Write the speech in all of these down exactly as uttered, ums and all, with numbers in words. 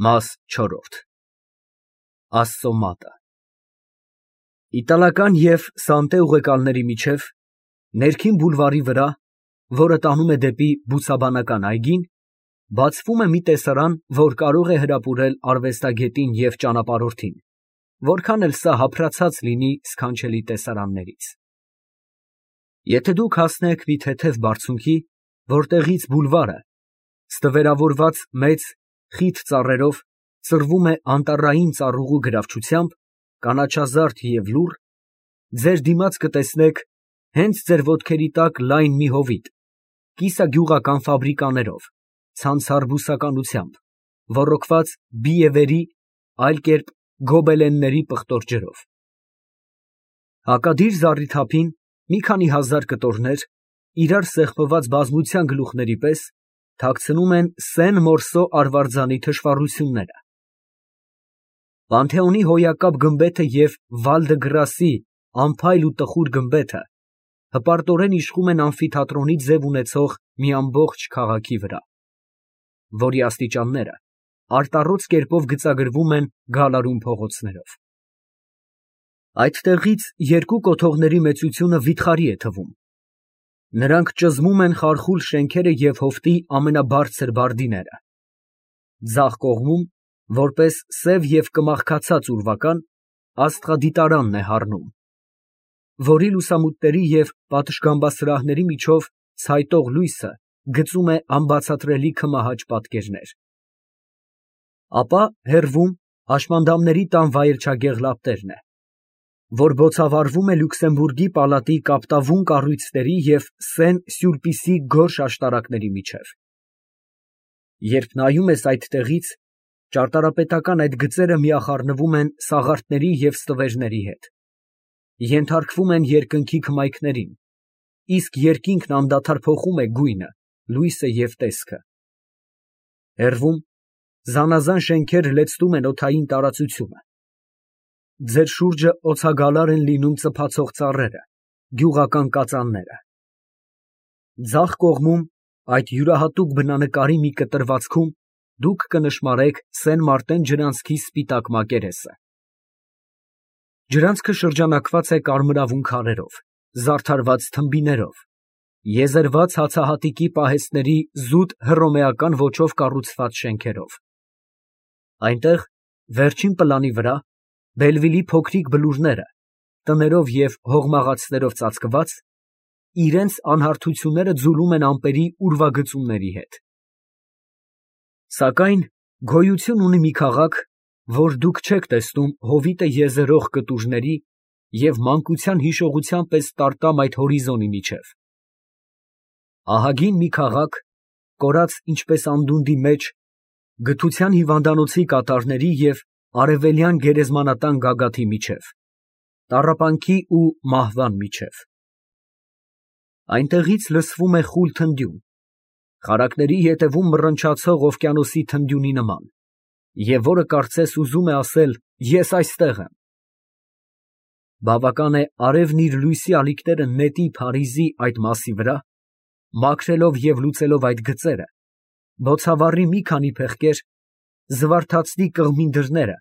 Մաս չորրորդ Աստծու մատը Իտալական և Սանտե ուղեկալների միջև, ներքին բուլվարի վրա, որը տանում է դեպի բուսաբանական այգին, բացվում է մի տեսարան, որ կարող է հրապուրել արվեստագետին և ճանապարհորդին, որքան էլ սա հափրացած լինի սքանչելի տեսարաններից։ Եթե դուք հասնեք մի թեթև բարձունքի, որտեղից բուլվարը, ստվերավորված մեծ, խիտ ծառերով, ծռվում է անտառային ծառուղու գրավչությամբ, կանաչազարդ և լուռ, ձեր դիմաց կտեսնեք հենց ձեր ոտքերի տակ լայն մի հովիտ, կիսագյուղական ֆաբրիկաներով, ցանցառ բուսականությամբ, ոռոգված բիևերի, այլ կերպ գոբելենների պղտոր ջրով։ Հակադիր զառիթափին մի քանի հազար կտորներ, իրար սեղմված բազմության գլուխների պես, թաքցնում են Սեն֊Մորսո արվարձանի թշվառությունները։ Պանթեոնի հոյակապ գմբեթը և Վալ դը Գրասի անփայլ ու տխուր գմբեթը հպարտորեն իշխում են ամֆիթատրոնի ձև ունեցող մի ամբողջ քաղաքի վրա, որի աստիճանները արտառոց կերպով գծագրվում են գալարուն փողոցներով։ Այդտեղից երկու կոթողների մեծությունը վիթխարի է թվում. նրանք ճզմում են խարխուլ շենքերը և հովտի ամենաբարձր բարդիները։ Ձախ կողմում, որպես սև և կմախքացած ուրվական, աստղադիտարանն է հառնում, որի լուսամուտների և պատշգամբասրահների միջով ցայտող լույսը գծում է անբացատրելի քմահաճ պատկերներ։ Ապա հեռվում հաշմանդամների տան վայրչագեղ լապտերն է, որ բոցավառվում է Լյուքսեմբուրգի պալատի կապտավուն կառույցների և Սեն֊Սյուրպիսի գորշ աշտարակների միջև։ Երբ նայում ես այդտեղից, ճարտարապետական այդ գծերը միախառնվում են սաղարթների և ստվերների հետ, ենթարկվում են երկնքի քմայքներին, իսկ երկինքն անդադար փոխում է գույնը, լույսը և տեսքը։ Հեռվում զանազան շենքեր լեցնում են օդային տարածությունը։ Ձեր շուրջը օդագալար են լինում ծփացող ծառերը, գյուղական կածանները։ Ձախ կողմում, այդ յուրահատուկ բնանկարի մի կտրվածքում, դուք կնշմարեք Սեն֊Մարտեն ջրանցքի սպիտակ մակերեսը։ Ջրանցքը շրջանակված է կարմրավուն քարերով, զարդարված թմբիներով, եզերված հացահատիկի պահեստների զուտ հռոմեական ոճով կառուցված շենքերով։ Այնտեղ, վերջին պլանի վրա, Բելվիլի փոքրիկ բլուրները, տներով և հողմաղացներով ծածկված, իրենց անհարթությունները ձուլում են ամպերի ուրվագծումների հետ։ Սակայն գոյություն ունի մի քաղաք, որ դուք չեք տեսնում հովիտը եզերող կտուժների և մանկության հիշողության պես տարտամ այդ հորիզոնի միջև։ Ահագին մի քաղաք, կորած ինչպես անդունդի մեջ, գթության հիվանդանոցի կատարների և արևելյան գերեզմանատան գագաթի միջև, տառապանքի ու մահվան միջև։ Այնտեղից լսվում է խուլ թնդյուն, խարակների ետևում մռնչացող օվկիանոսի թնդյունի նման, և որը կարծես ուզում է ասել. «Ես այստեղ եմ»։ Բավական է արևն իր լույսի ալիքները նետի Փարիզի այդ մասի վրա, մաքրելով և լուծելով այդ գծերը, բոցավառի մի քանի փեղկեր, զվարթացնի կղմի դռները,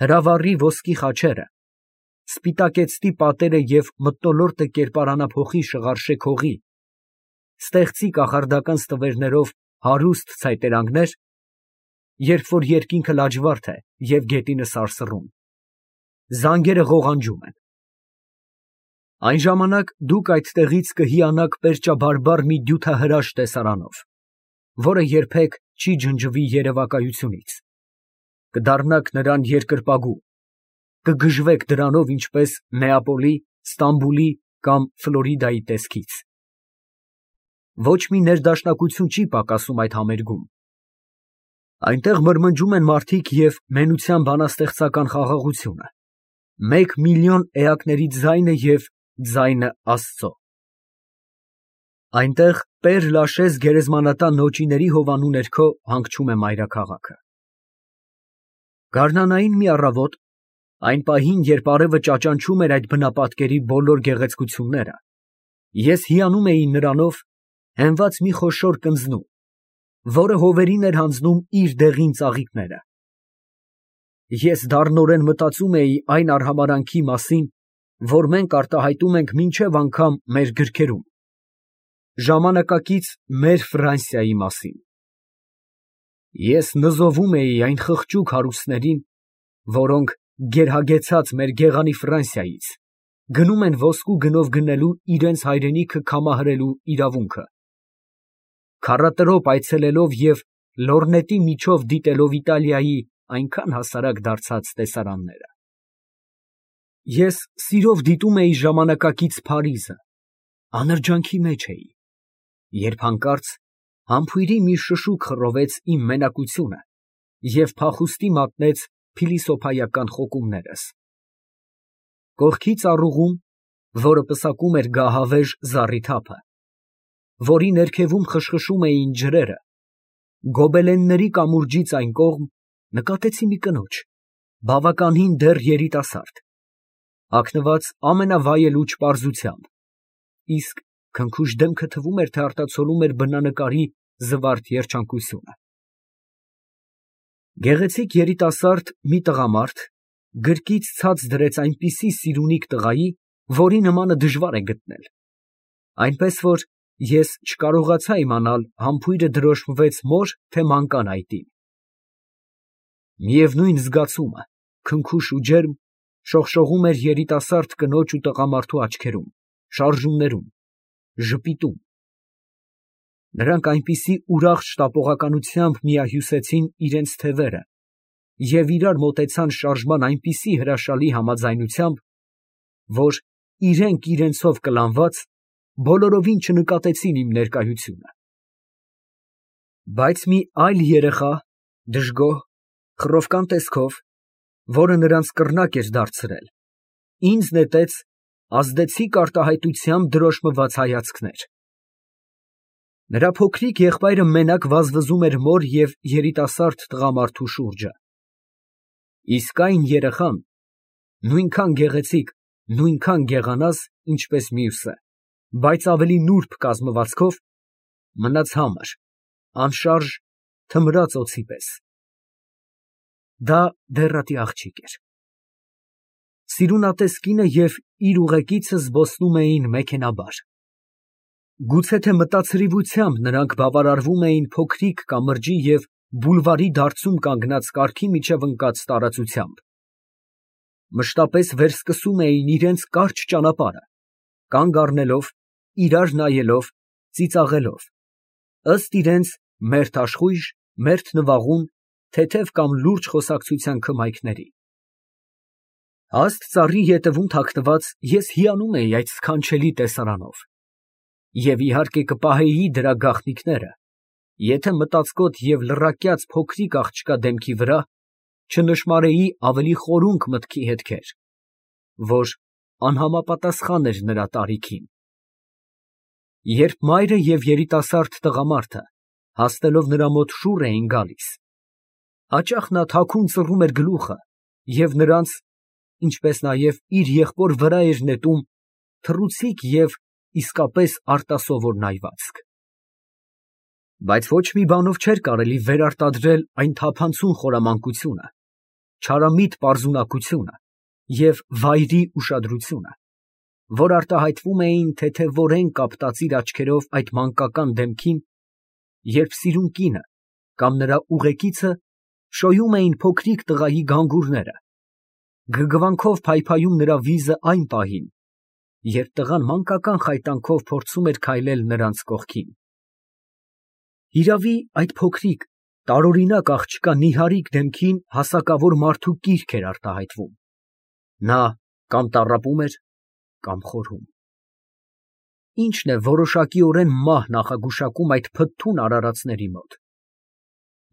հրավառի ոսկի խաչերը, սպիտակեցնի պատերը և մթնոլորտը կերպարանափոխի շղարշեք հողի, ստեղծի կախարդական ստվերներով հարուստ ցայտերանգներ, երբ որ երկինքը լաջվարդ է և գետինը սարսռում, զանգերը ղողանջում են։ Այն ժամանակ դուք այդտեղից կհիանաք պերճաբարբառ մի դյութահրաշ տեսարանով, որը երբեք չի ջնջվի երևակայությունից, կդառնաք նրան երկրպագու, կգժվեք դրանով ինչպես Նեապոլի, Ստամբուլի կամ Ֆլորիդայի տեսքից։ Ոչ մի ներդաշնակություն չի պակասում այդ համերգում։ Այնտեղ մրմնջում են մարդիկ և մենության բանաստեղծական խաղաղությունը, մեկ միլիոն էակների ձայնը և ձայնը Աստծո։ Այնտեղ Պեր Լաշեզ գերեզմանատան նոճիների հովանու ներքո հանգչում է մայրաքաղաքը։ Գարնանային մի առավոտ, այն պահին, երբ արևը ճաճանչում էր այդ բնապատկերի բոլոր գեղեցկությունները, ես հիանում էի նրանով, հենված մի խոշոր կնձնու, որը հովերին էր հանձնում իր դեղին ծաղիկները։ Ես դառնորեն մտածում էի այն արհամարհանքի մասին, որ մենք արտահայտում ենք մինչև անգամ մեր գրքերում, ժամանակակից մեր Ֆրանսիայի մասին։ Ես նզովում էի այն խղճուկ հարուստներին, որոնք, գերհագեցած մեր գեղանի Ֆրանսիայից, գնում են ոսկու գնով գնելու իրենց հայրենիքը կամահրելու իրավունքը, քառատրոպ այցելելով և լոռնետի միջով դիտելով Իտալիայի այնքան հասարակ դարձած տեսարանները։ Ես սիրով դիտում էի ժամանակակից Փարիզը, անրջանքի մեջ էի, երբ հանկարծ համբույրի մի շշուկ խռովեց իմ մենակությունը և փախուստի մատնեց փիլիսոփայական խոկումներս։ Կողքի ծառուղում, որը պսակում էր գահավեժ զառիթափը, որի ներքևում խշխշում էին ջրերը, գոբելենների կամուրջից այն կողմ նկատեցի մի կնոջ, բավականին դեռ երիտասարդ, հագնված ամենավայելուչ պարզությամբ, իսկ քնքուշ դեմքը թվում էր, թե արտացոլում էր բնանկարի զվարթ երջանկությունը։ Գեղեցիկ երիտասարդ մի տղամարդ գրկից ցած դրեց այնպիսի սիրունիկ տղայի, որի նմանը դժվար է գտնել, այնպես որ ես չկարողացա իմանալ համբույրը դրոշմվեց մոր, թե մանկան այտին։ Միևնույն զգացումը, քնքուշ ու ջերմ, շողշողում էր երիտասարդ կնոջ ու տղամարդու աչքերում, շարժումներում, ժպիտում։ Նրանք այնպիսի ուրախ շտապողականությամբ միահյուսեցին իրենց թևերը և իրար մոտեցան շարժման այնպիսի հրաշալի համաձայնությամբ, որ իրենք իրենցով կլանված, բոլորովին չնկատեցին իմ ներկայությունը։ Բայց մի այլ երեխա, դժգոհ, խռովկան տեսքով, որը նրանց կռնակ էր դարձրել, ինձ նետեց ազդեցիկ արտահայտությամբ դրոշմված հայացքներ։ Նրա փոքրիկ եղբայրը մենակ վազվզում էր մոր և երիտասարդ տղամարդու շուրջը, իսկ այն երեխան, նույնքան գեղեցիկ, նույնքան գեղանաս, ինչպես մյուսը, բայց ավելի նուրբ կազմվածքով, մնաց համր, անշարժ, թմրած օձի պես։ Դա դեռատի աղջիկ էր։ Սիրունատես կինը և իր ուղեկիցը զբոսնում էին մեքենաբար։ Գուցե թե մտացրիվությամբ նրանք բավարարվում էին փոքրիկ կամրջի և բուլվարի դարձում կանգնած կառքի միջև ընկած տարածությամբ, մշտապես վերսկսում էին իրենց կարճ ճանապարհը, կանգ առնելով, իրար նայելով, ծիծաղելով, ըստ իրենց մերթ աշխույժ, մերթ նվաղուն, թեթև կամ լուրջ խոսակցության քմայքների։ Հաստ ծառի ետևում թաքնված ես հիանում էի այդ սքանչելի տեսարանով և իհարկե կպահեի դրա գաղտնիքները, եթե մտածկոտ և լռակյաց փոքրիկ աղջկա դեմքի վրա չնշմարեի ավելի խորունկ մտքի հետքեր, որ անհամապատասխան էր նրա տարիքին։ Երբ մայրը և երիտասարդ տղամարդը, հասնելով նրա մոտ շուռ էին գալիս, հաճախ նա թաքուն ծռում էր գլուխը և նրանց, ինչպես նաև իր եղբոր վրա էր նետում թռուցիկ և իսկապես արտասովոր նայվածք։ Բայց ոչ մի բանով չէր կարելի վերարտադրել այն թափանցուն խորամանկությունը, չարամիտ պարզունակությունը և վայրի ուշադրությունը, որ արտահայտվում էին թեթևորեն կապտած իր աչքերով այդ մանկական դեմքին, երբ սիրուն կինը կամ նրա ուղեկիցը շոյում էին փոքրիկ տղայի գանգուրները, գրգռվանքով փայփայում նրա վիզը այն պահին, երբ տղան մանկական խայտանքով փորձում էր քայլել նրանց կողքին։ Հիրավի, այդ փոքրիկ, տարօրինակ աղջկա նիհարիկ դեմքին հասակավոր մարդու կիրք էր արտահայտվում. նա կամ տառապում էր, կամ խորհում։ Ի՞նչն է որոշակիորեն մահ նախագուշակում այդ փթթուն արարածների մոտ։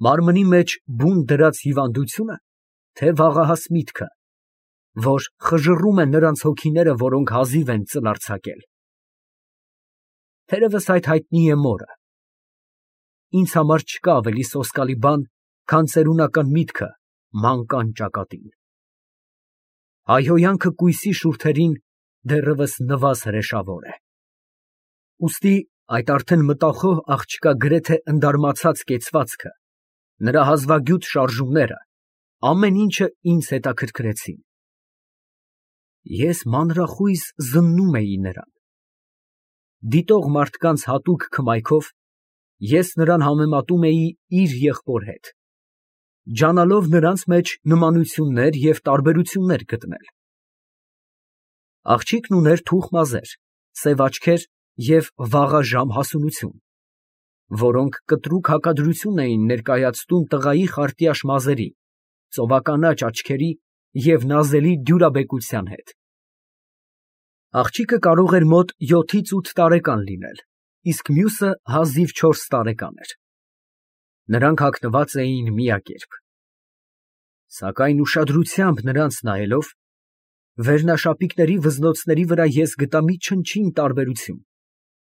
Մարմնի մեջ բուն դրած հիվանդությո՞ւնը, թե վաղահաս միտքը, որ խժռում է նրանց հոգիները, որոնք հազիվ են ծլ արձակել։ Թերևս այդ հայտնի է մորը։ Ինձ համար չկա ավելի սոսկալի բան, քան ծերունական միտքը մանկան ճակատին։ Հայհոյանքը կույսի շուրթերին դեռևս նվազ հրեշավոր է։ Ուստի այդ արդեն մտախոհ աղջկա գրեթե ընդարմացած կեցվածքը, նրա հազվագյուտ շարժումները, ամեն ինչը ինձ հետաքրքրեցին։ Ես մանրախույս զննում էի նրան։ Դիտող մարդկանց հատուկ քմայքով ես նրան համեմատում էի իր եղբոր հետ, ջանալով նրանց մեջ նմանություններ և տարբերություններ գտնել։ Աղջիկն ուներ թուխ մազեր, սև աչքեր և վաղաժամ հասունություն, որոնք կտրուկ հակադրություն էին ներկայացնում տղայի խարտյաշ մազերի, ծովականաչ աչքերի և նազելի դյուրաբեկության հետ։ Աղջիկը կարող էր մոտ յոթից ութ տարեկան լինել, իսկ մյուսը հազիվ չորս տարեկան էր։ Նրանք հագնված էին միակերպ։ Սակայն ուշադրությամբ նրանց նայելով, վերնաշապիկների վզնոցների վրա ես գտա մի չնչին տարբերություն,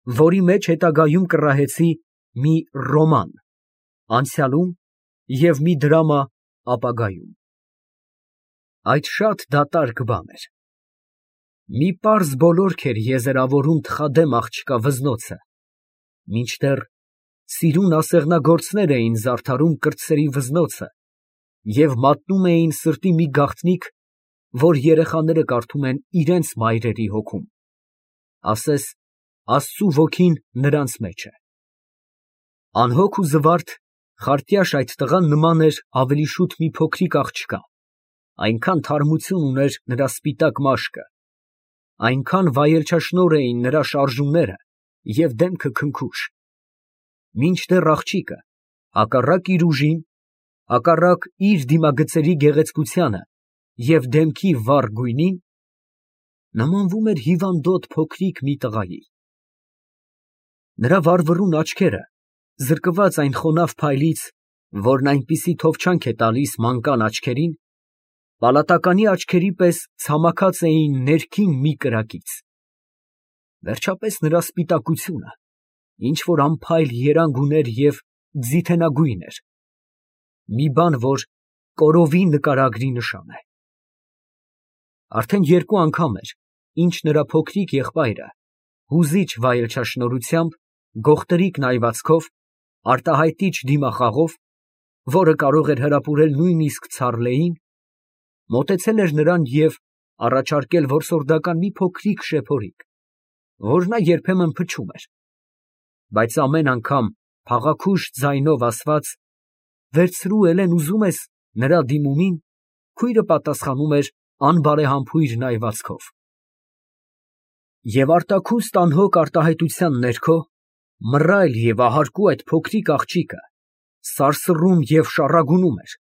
որի մեջ հետագայում կռահեցի մի ռոման անցյալում և մի դրամա ապագայում։ Այդ շատ դատարկ բան էր։ Մի պարզ բոլորք էր եզերավորում թխադեմ աղջկա վզնոցը, մինչդեռ սիրուն ասեղնագործներ էին զարդարում կրտսերի վզնոցը և մատնում էին սրտի մի գաղտնիք, որ երեխաները կարդում են իրենց մայրերի հոգում, ասես Աստծու ոգին նրանց մեջ է։ Անհոգ ու զվարթ, խարտյաշ այդ տղան նման էր ավելի շուտ մի փոքրիկ աղջկա, այնքան թարմություն ուներ նրա սպիտակ մաշկը, այնքան վայելչաշնորհ էին նրա շարժումները և դեմքը քնքուշ, մինչդեռ աղջիկը, հակառակ իր ուժին, հակառակ իր դիմագծերի գեղեցկությանը և դեմքի վառ գույնին, նմանվում էր հիվանդոտ փոքրիկ մի տղայի։ Նրա վառվռուն աչքերը, զրկված այն խոնավ փայլից, որն այնպիսի թովչանք է տալիս մանկան աչքերին, պալատականի աչքերի պես ցամաքած էին ներքին մի կրակից։ Վերջապես նրա սպիտակությունը ինչ որ անփայլ երանգ ուներ և ձիթենագույն էր, մի բան, որ կորովի նկարագրի նշան է։ Արդեն երկու անգամ էր, ինչ նրա փոքրիկ եղբայրը հուզիչ վայելչաշնորհությամբ, գողտրիկ նայվածքով, արտահայտիչ դիմախաղով, որը կարող էր հրապուրել նույնիսկ Ցարլեին, մոտեցել էր նրան և առաջարկել որսորդական մի փոքրիկ շեփորիկ, որ նա երբեմն փչում էր, բայց ամեն անգամ փաղաքուշ ձայնով ասված «Վերցրու, Էլեն, ուզում ես» նրա դիմումին, քույրը պատասխանում էր անբարեհամբույր նայվածքով։ Եվ արտաքուստ անհոգ արտահայտության ներքո, մռայլ և ահարկու այդ փոքրիկ աղջիկը սարսռում և շառագունում էր,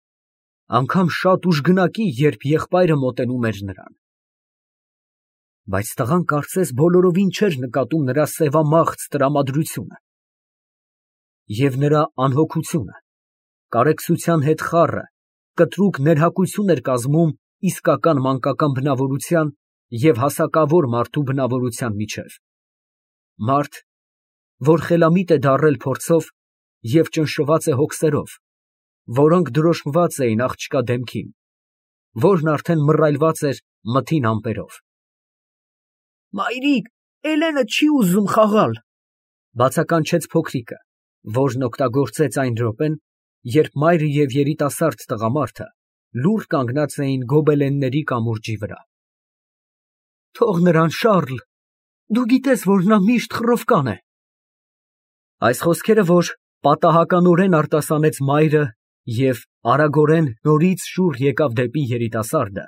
անգամ շատ ուժգնակի, երբ եղբայրը մոտենում էր նրան։ Բայց տղան կարծես բոլորովին չէր նկատում նրա սևամաղձ տրամադրությունը և նրա անհոգությունը, կարեկցության հետ խառը, կտրուկ ներհակություն էր կազմում իսկական մանկական բնավորության և հասակավոր մարդու բնավորության միջև, մարդ, որ խելամիտ է դառել փորձով և ճնշված է հոգսերով, որոնք դրոշմված էին աղջկա դեմքին, որն արդեն մռայլված էր մթին ամպերով։ «Մայրիկ, Էլենը չի ուզում խաղալ», ֊ բացականչեց փոքրիկը, որն օգտագործեց այն րոպեն, երբ մայրը և երիտասարդ տղամարդը լուռ կանգնած էին գոբելենների կամուրջի վրա։ «Թող նրան, Շառլ, դու գիտես, որ նա միշտ խռովկան է»։ Այս խոսքերը, որ պատահականորեն արտասանեց մայրը և արագորեն նորից շուռ եկավ դեպի երիտասարդը,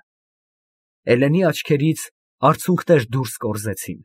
Էլենի աչքերից արցունքներ դուրս կորզեցին։